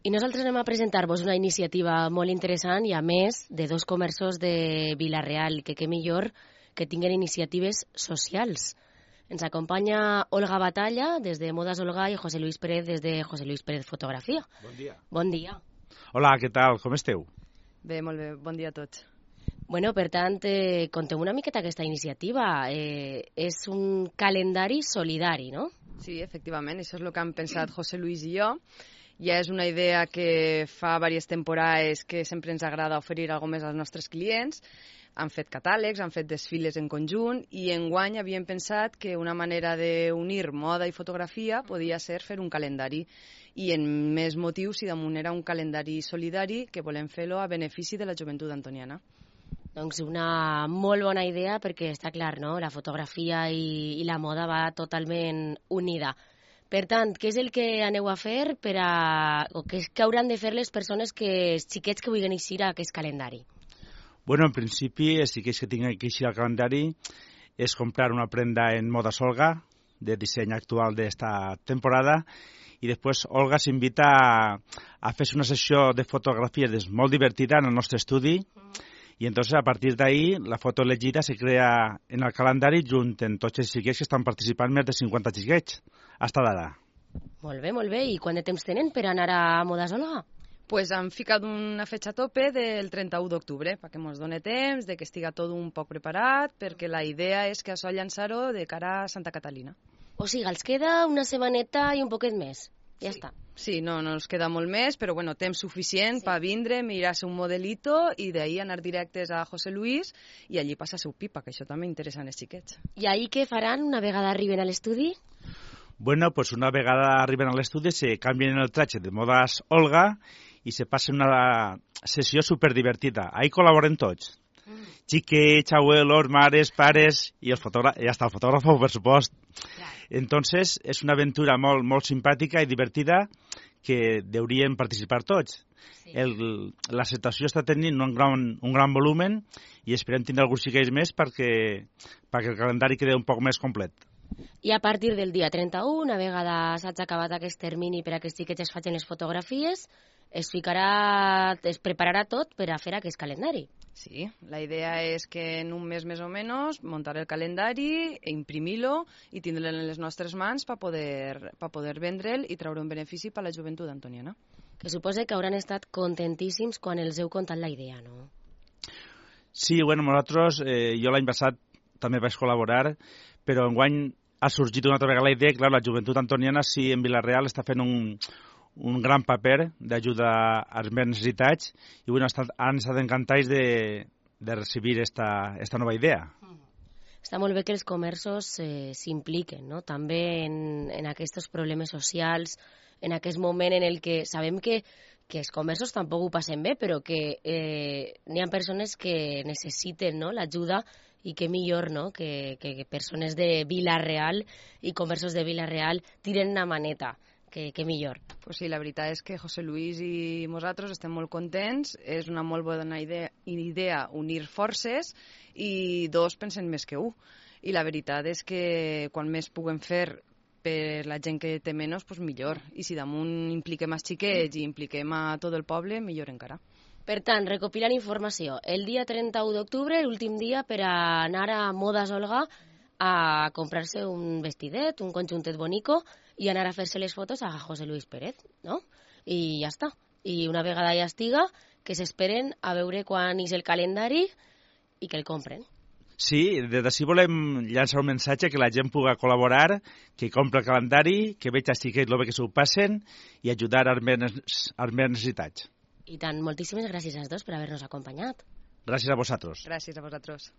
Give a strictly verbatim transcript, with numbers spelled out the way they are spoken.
I nosaltres anem a presentar-vos una iniciativa molt interessant i, a més, de dos comerços de Vila-real, que què millor que tinguen iniciatives socials. Ens acompanya Olga Batalla, des de Modas Olga, i José Luis Pérez, des de José Luis Pérez Fotografia. Bon dia. Bon dia. Hola, què tal? Com esteu? Bé, molt bé. Bon dia a tots. Bueno, per tant, eh, conteu una miqueta aquesta iniciativa. Eh, és un calendari solidari, no? Sí, efectivament, això és el que han pensat José Luis i jo. Ja és una idea que fa diverses temporades que sempre ens agrada oferir alguna més als nostres clients. Han fet catàlegs, han fet desfiles en conjunt i enguany havíem pensat que una manera d'unir moda i fotografia podia ser fer un calendari. I en més motius si damunt era un calendari solidari que volem fer-lo a benefici de la joventut antoniana. Doncs una molt bona idea perquè està clar, no? La fotografia i, i la moda va totalment unida. Per tant, què és el que aneu a fer per a... o què és que hauran de fer les persones, que els xiquets que vulguin eixir a aquest calendari? Bueno, en principi, els xiquets que tinguin que eixir al calendari és comprar una prenda en Modas Olga, de disseny actual d'esta temporada, i després Olga s'invita a, a fer una sessió de fotografies molt divertida en el nostre estudi, i entonces a partir d'ahí la foto elegida se crea en el calendari junt amb tots els xiquets que estan participant, més de cinquanta xiquets, hasta d'ara. Molt bé, molt bé. I quant de temps tenen per anar a Modas Olga? Pues han ficat una fetxa a tope del trenta-u d'octubre, perquè ens doni temps, de que estiga tot un poc preparat, perquè la idea és que això llançar-ho de cara a Santa Catalina. O sigui, els queda una setmaneta i un poquet més. Ja sí. està. Sí, no, no ens queda molt més, però bueno, temps suficient sí. per vindre, mirar-se un modelito i d'ahir anar directes a José Luis i allí passa seu pipa, que això també interessa als xiquets. I ahir què faran una vegada arriben a l'estudi? Bueno, pues una vegada arriben a l'estudi se canvien el tratge de Modas Olga i se passen una sessió superdivertida. Ahí col·laboren tots. Mm. Xiquets, abuelos, mares, pares i el fotògraf, i hasta el fotògraf, per supost. Clar. Entonces, és una aventura molt, molt simpàtica i divertida que deurien participar tots. Sí. El, la situació està tenint un gran, un gran volumen i esperem tindre alguns xiquets més perquè, perquè el calendari quedi un poc més complet. I a partir del dia trenta-u, una vegada s'hagi acabat aquest termini per a que els xiquets es facin les fotografies, es ficarà, es prepararà tot per a fer aquest calendari. Sí, la idea és que en un mes més o menys muntar el calendari, imprimir-lo i tindre'l en les nostres mans per poder, per poder vendre'l i treure un benefici per a la joventut antoniana. Que suposa que hauran estat contentíssims quan els heu contat la idea, no? Sí, bueno, nosaltres, eh, jo l'any passat també vaig col·laborar, però enguany ha sorgit una altra vegada la idea, clar, la joventut antoniana sí en Vila-real està fent un... un gran paper d'ajuda als més necessitats i bueno, han estat encantats de, de recibir esta, esta nova idea. Està molt bé que els comerços eh, s'impliquen, no? També en, en aquests problemes socials, en aquest moment en el que sabem que, que els comerços tampoc ho passen bé, però que eh, n'hi ha persones que necessiten, no?, l'ajuda i que millor, no?, que, que persones de Vila-real i comerços de Vila-real tiren una maneta. Que, que millor. Pues sí, la veritat és que José Luis i nosaltres estem molt contents, és una molt bona idea, idea unir forces i dos pensen més que un. I la veritat és que quan més puguem fer per la gent que té menys, pues millor. I si damunt impliquem els xiquets i impliquem a tot el poble, millor encara. Per tant, recopilant informació, el dia trenta-u d'octubre, l'últim dia per a anar a Modas Olga a comprar-se un vestidet, un conjuntet bonico i anar a fer-se les fotos a José Luis Pérez, no? I ja està. I una vegada ja estiga, que s'esperen a veure quan és el calendari i que el compren. Sí, des d'ací volem llançar un missatge que la gent pugui col·laborar, que compri el calendari, que veig els xiquets el bé que s'ho passen i ajudar als més, als més necessitats. I tant, moltíssimes gràcies als dos per haver-nos acompanyat. Gràcies a vosaltres. Gràcies a vosaltres.